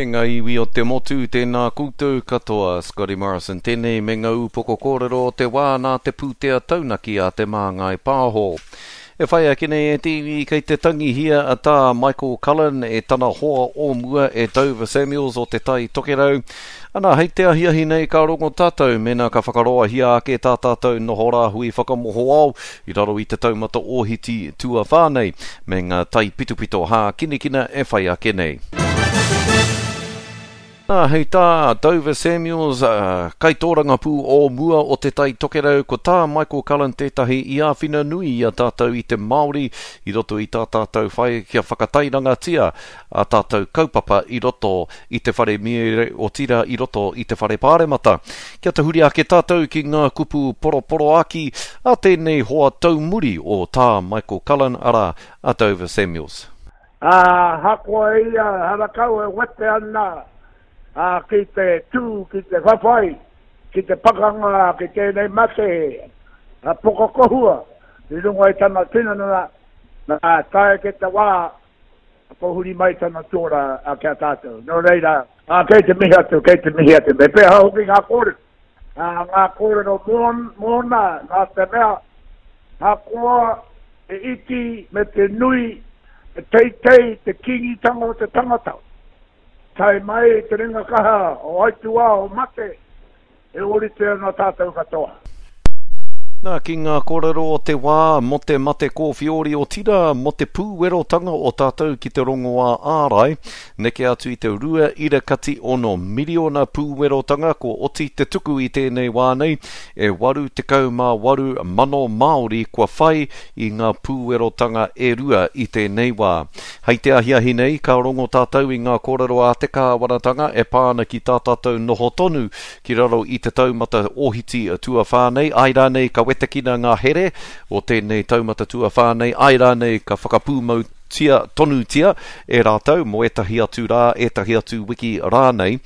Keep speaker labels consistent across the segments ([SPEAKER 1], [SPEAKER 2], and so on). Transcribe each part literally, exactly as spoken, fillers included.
[SPEAKER 1] E ngā iwi o te motu, tēnā koutou katoa, Scotty Morrison tēnei me ngā upoko kōrero o te wā nā te pūtea taunaki a Te Māngai Pāho. E whai ake nei e te iwi kei te tangihia a tā Michael Cullen e tana hoa o mua e Dover Samuels o Te Tai Tokerau. Ana, hei te ahiahi nei ka rongo tātou mēnā ka whakaroahia ake tā tātou noho rāhui whakamohoao i raro i te taumata ohiti tuawhā nei me ngā taipitopito hākinakina e whai ake nei. Nā, hei tā Dover Samuels, uh, kaitōrangapū o mua o Te Tai Tokerau, ko tā Michael Cullen tētahi i āwhina nui i a tātou i te Māori i roto i tā tātou whai kia whakatairangatia a tātou kaupapa i roto i te whare miere otirā i roto i te whare pāremata. Kia tahuri ake tātou ki ngā kupu poroporoaki a tēnei hoa taumuri o tā Michael Cullen, arā, a Dover Samuels.
[SPEAKER 2] Ahakoa ia harakau e wete ana ā, ki te tū, ki te whawhai, ki te pakanga ki tēnei mate a Pukakohua i runga i tana tinana, nā, tae ki te wā kua huri mai tana tōra ki a tātou. Nō reira, ā, kei te mihi atu, kei te mihi atu. Me pēhea hoki ngā kōrero? Ā, ngā kōrero mōna, nā te mea, ahakoa te iti me te nui, te teitei, te kīngitanga o te tangata, Tae mai te ringa kaha o aituā o mate, e ōrite ana tātou katoa.
[SPEAKER 1] Nā, ki ngā kōrero o te wā mō te mate kōwhiori otirā mō te pūwerotanga o tātou ki te rongoā ārai, neke atu i te rua ira kati ono miriona pūwerotanga kua oti te tuku i tēnei wā nei, e waru tekau mā waru mano Māori kua whai i ngā pūwerotanga e rua i tēnei wā. Hei te ahiahi nei, ka rongo tātou i ngā kōrero a te kāwanatanga e pā ana ki tā tātou noho tonu ki raro i te taumata ohiti tuawhā nei, āe rānei ka wetekina ngā here o tēnei taumata tuawhā nei, āe rānei ka whakapūmautia tonutia e rātou mō ētahi atu rā, ētahi atu wiki rānei.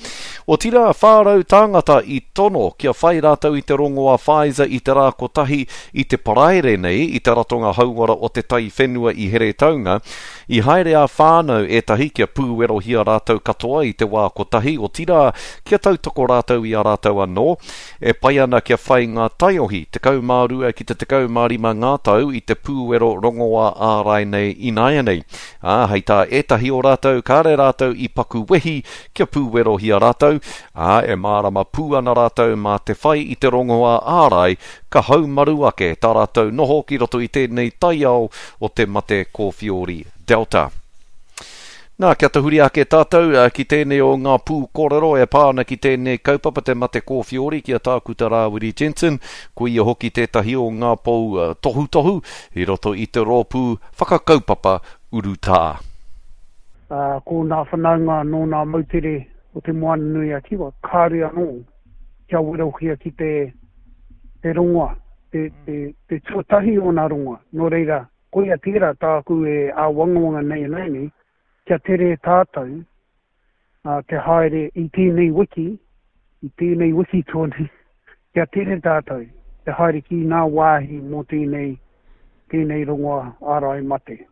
[SPEAKER 1] Otirā, whā rau tāngata i tono kia whai rātou i te rongoā Pfizer i te rā kotahi i te Paraire nei i te Ratonga Hauora o te Taiwhenua i Heretaunga. I haere ā-whānau ētahi kia pūwerohia rātou katoa i te wā kotahi, otirā, kia tautoko rātou i a rātou anō. E pai ana kia whai ngā taiohi tekau mā rua ki te tekau mā rima ngā tau i te pūwero rongoā ārai nei ināianei. Ā, hei tā ētahi o rātou, kāre rātou i paku wehi kia pūwerohia rātou, ā, e mārama pū ana rātou mā te whai i te rongoā ārai ka haumaru ake tā rātou noho ki roto i tēnei taiao o te mate kōwhiori Delta. Nā, kia tahuri ake tātou ki tēnei o ngā pū kōrero e pā ana ki tēnei kaupapa te mate kōwhiori ki a Tākuta Rāwiri Jensen, ko ia hoki tētahi o ngā pou tohutohu i roto i te rōpū whakakaupapa urutā.
[SPEAKER 3] Ā, ko nā whanaunga nō nā moutere o Te Moananui-a-Kiwa, kāore anō kia werohia ki te, te rongoa, te, te, te tuatahi o nā rongoa. Nō reira, koia tērā tāku e āwangawanga nei ināianei, kia tere tātou te haere i tēnei wiki, i tēnei wiki tonu, kia tere tātou te haere ki ngā wāhi mō tēnei, tēnei rongoa ārai mate.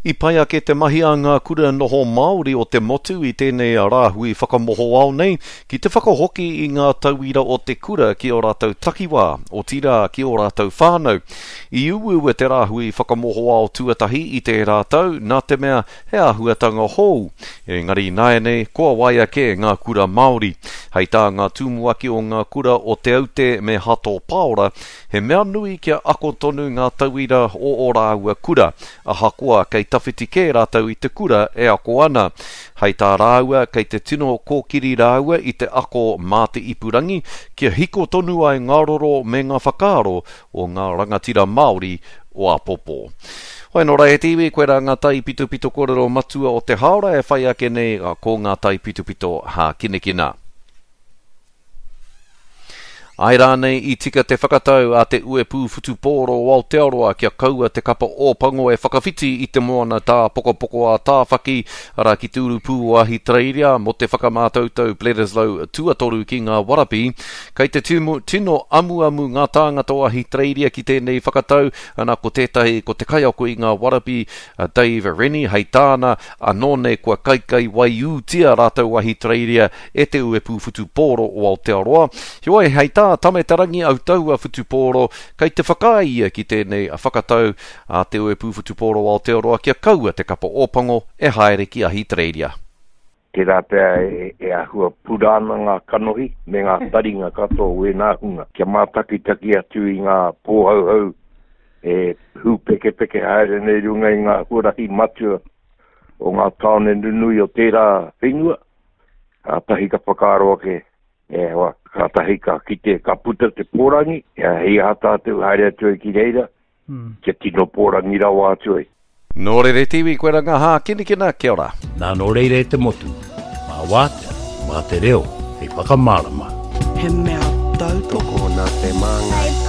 [SPEAKER 1] I pai ake te mahi a ngā kura noho Māori o te motu i tēnei rāhui whakamohoao nei ki te whakahoki i ngā tauira o te kura ki ō rātou takiwā, otirā ki ō rātou whānau. I uaua te rāhui whakamohoao tuatahi i tērā tau nā te mea he āhuatanga hou. Engari ināianei kua waia kē ngā kura Māori. Hei tā ngā tumuaki o ngā kura o Te Aute me Hato Paora, he mea nui kia ako tonu ngā tauira o ō rāua kura, ahakoa kei tawhiti kē rātou i te kura e ako ana. Hei tā rāua, kei te tino kōkiri rāua i te ako mā te ipurangi, kia hiko tonu ai ngā roro me ngā whakaaro o ngā rangatira Māori o āpōpō. Hoi nō rā e te iwi, koirā ngā taipitopito kōrero matua o te hāora e whai ake nei ko ngā taipitopito hākinakina. Ai rānei i tika te whakatau a te Uepū Whutupōro o Aotearoa kia kaua te kapa Ōpango e whakawhiti i te moana tāpokopoko a Tāwhaki, arā ki te urupū o Ahitereiria mō te whakamātautau Bledisloe tuatoru ki ngā Warapi. Kei te tino amuamu ngā tāngata o Ahitereiria ki tēnei whakatau, ana ko tētahi ko te kaiako i ngā Warapi, a Dave Rennie, hei tāna, anō nei kua kaikai waiūtia rātou Ahitereiria e te Uepū Whutupōro o Aotearoa. Heoi, hei tā Tame Te Rangi Autaua Whutupōro, kei te whakaae ia ki tēnei whakatau a te Uepū Whutupōro o Aotearoa kia kaua te kapa Ōpango e haere ki Ahitereiria.
[SPEAKER 4] Tērā pea e, e āhua pura ana ngā kanohi me ngā taringa katoa o ēnā hunga. Kia mātakitaki atu i ngā pōhauhau e hūpekepeke haere nei runga i ngā huarahi matua o ngā tāone nunui o tērā whenua. Kātahi ka whakaaro ake, e hoa, kātahi ka kite, ka puta te pōrangi, e hei aha tātou haere atu ai ki reira, mm. kia tino pōrangi rawa atu ai.
[SPEAKER 1] Nō rere tiwi, koe ranga hākinikina, kia ora.
[SPEAKER 5] Nā nō reira e te motu, mā wātea, mā te reo, hei whakamārama.
[SPEAKER 6] He mea tautoko
[SPEAKER 7] Tokona te māngai.